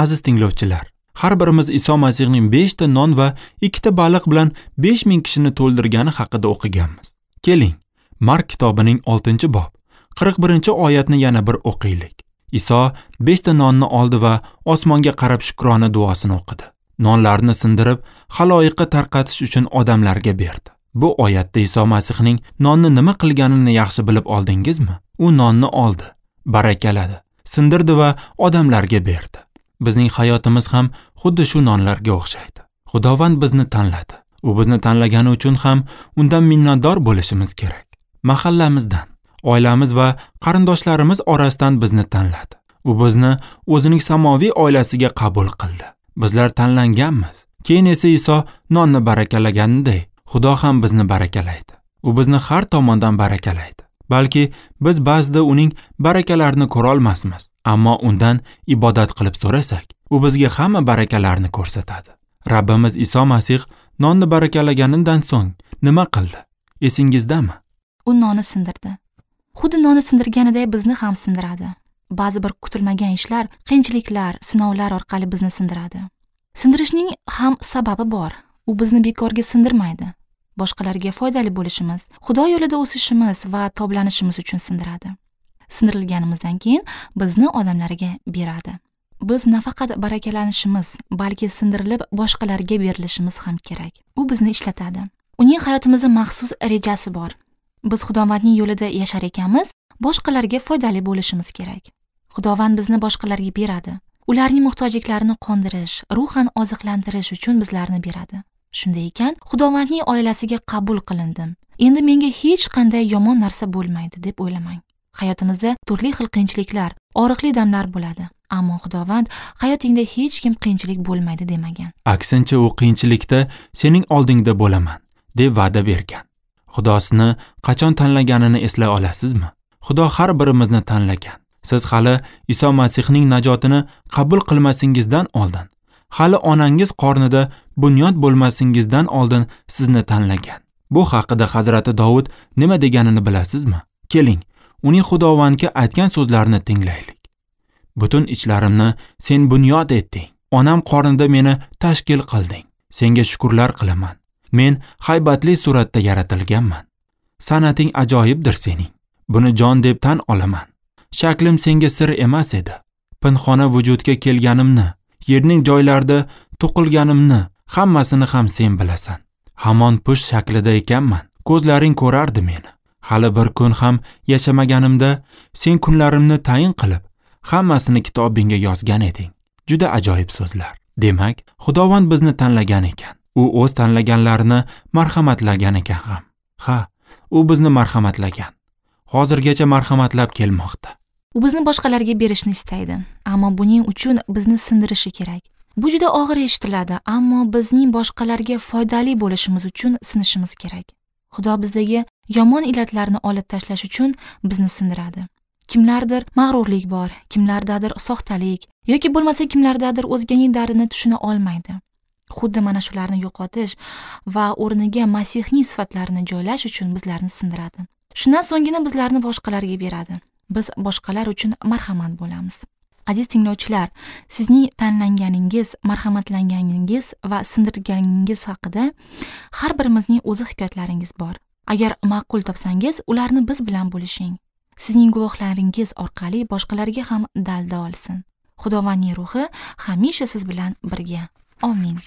Aziz tinglovchilar, har birimiz Iso Masihning 5 ta non va 2 ta baliq bilan 5000 kishini to'ldirgani haqida o'qiganmiz. Keling, Mark kitobining 6-bob 41-oyatni yana bir o'qiylik. Iso 5 ta nonni oldi va osmonga qarab shukrona duosini o'qidi. Nonlarni sindirib, xaloyiqqa tarqatish uchun odamlarga berdi. Bu oyatda Iso Masihning nonni nima qilganini yaxshi bilib oldingizmi? U nonni oldi, barakaladi, sindirdi va odamlarga berdi. Bizning hayotimiz ham xuddi shu nonlarga o'xshaydi. Xudovand bizni tanladi. U bizni tanlagani uchun ham undan minnatdor bo'lishimiz kerak. Mahallamizdan, oilamiz va qarindoshlarimiz orasidan bizni tanladi. U bizni o'zining samoviy oilasiga qabul qildi. Bizlar tanlanganmiz. Keyin esa Iso nonni barakalaganiday, Xudo ham bizni barakalaydi. U bizni har tomondan barakalaydi. Balki biz ba'zida uning barakalarini ko'ra olmasmiz, ammo undan ibodat qilib so'rasak, u bizga hamma barakalarni ko'rsatadi. Rabbimiz Iso Masih nonni barakalaganidan so'ng nima qildi? Esingizdami? U nonni sindirdi. Xuddi nonni sindirganiday bizni ham sindiradi. Ba'zi bir kutilmagan ishlar, qiyinchiliklar, sinovlar orqali bizni sindiradi. Sindirishning ham sababi bor. U bizni bekorga sindirmaydi. Boshqalarga foydali bo'lishimiz, Xudo yo'lida o'sishimiz va toblanishimiz uchun sindiradi. Sindirilganimizdan keyin bizni odamlarga beradi. Biz nafaqat barakalanishimiz, balki sindirilib boshqalarga berilishimiz ham kerak. U bizni ishlatadi. Uning hayotimizda maxsus rejasi bor. Biz Xudovandning yo'lida yashar ekanmiz, boshqalarga foydali bo'lishimiz kerak. Xudovand bizni boshqalarga beradi. Ularning muhtojliklarini qondirish, ruhan oziqlantirish uchun bizlarni beradi. Shunday ekan, Xudovandning oilasiga qabul qilindim. Endi menga hech qanday yomon narsa bo'lmaydi deb o'ylamang. Hayotimizda turli xil qiyinchiliklar, og'riqli damlar bo'ladi. Ammo Xudovand hayotingda hech kim qiyinchilik bo'lmaydi demagan. Aksincha u qiyinchilikda sening oldingda bo'laman deb va'da bergan. Xudosini qachon tanlaganini eslay olasizmi? Xudo har birimizni tanlagan. Siz hali Iso Masihning najotini qabul qilmasingizdan oldin, hali onangiz qornida bunyod bo'lmasingizdan oldin sizni tanlagan. Bu haqida Hazrati Dovud nima deganini bilasizmi? Keling, uning Xudovandga aytgan so'zlarini tinglaylik. Butun ichlarimni sen bunyod etding. Onam qornida meni tashkil qilding. Senga shukrlar qilaman. Men haybatli suratda yaratilganman. San'ating ajoyibdir sening. Buni jon deb tan olaman. Shaklim senga sir emas edi. Pinxona vujudga kelganimni, yerning joylarida to'qilganimni hammasini ham sen bilasan. Hamon push shaklida ekanman. Ko'zlaring ko'rardi meni. Hali bir kun ham yashamaganimda sen kunlarimni tayin qilib, hammasini kitobingga yozgan eding. Juda ajoyib so'zlar. Demak, Xudovand bizni tanlagan ekan. U o'z tanlaganlarini marhamatlagan ekan ham. Ha, u bizni marhamatlagan. Hozirgacha marhamatlab kelmoqda. U bizni boshqalarga berishni istaydi, ammo buning uchun bizni sindirishi kerak. Bu juda og'ir eshitiladi, ammo bizning boshqalarga foydali bo'lishimiz uchun sinishimiz kerak. Xudo bizdagi yomon illatlarni olib tashlash uchun bizni sindiradi. Kimlardir mag'rurlik bor, kimlardadir soxtalik yoki bo'lmasa kimlardadir o'zganing dardini tushuna olmaydi. Xuddi mana shularni yo'qotish va o'rniga Masihning sifatlarini joylash uchun bizlarni sindiradi. Shundan so'nggina bizlarni boshqalarga beradi. Biz boshqalar uchun marhamat bo'lamiz. Aziz tinglovchilar, sizning tanlanganingiz, marhamatlanganingiz va sindirganingiz haqida har birimizning o'zi hikoyatlaringiz bor. Agar ma'qul topsangiz, ularni biz bilan bo'lishing. Sizning guvohlaringiz orqali boshqalarga ham dalda olsin. Xudovandning ruhi hamisha siz bilan birga. Amin.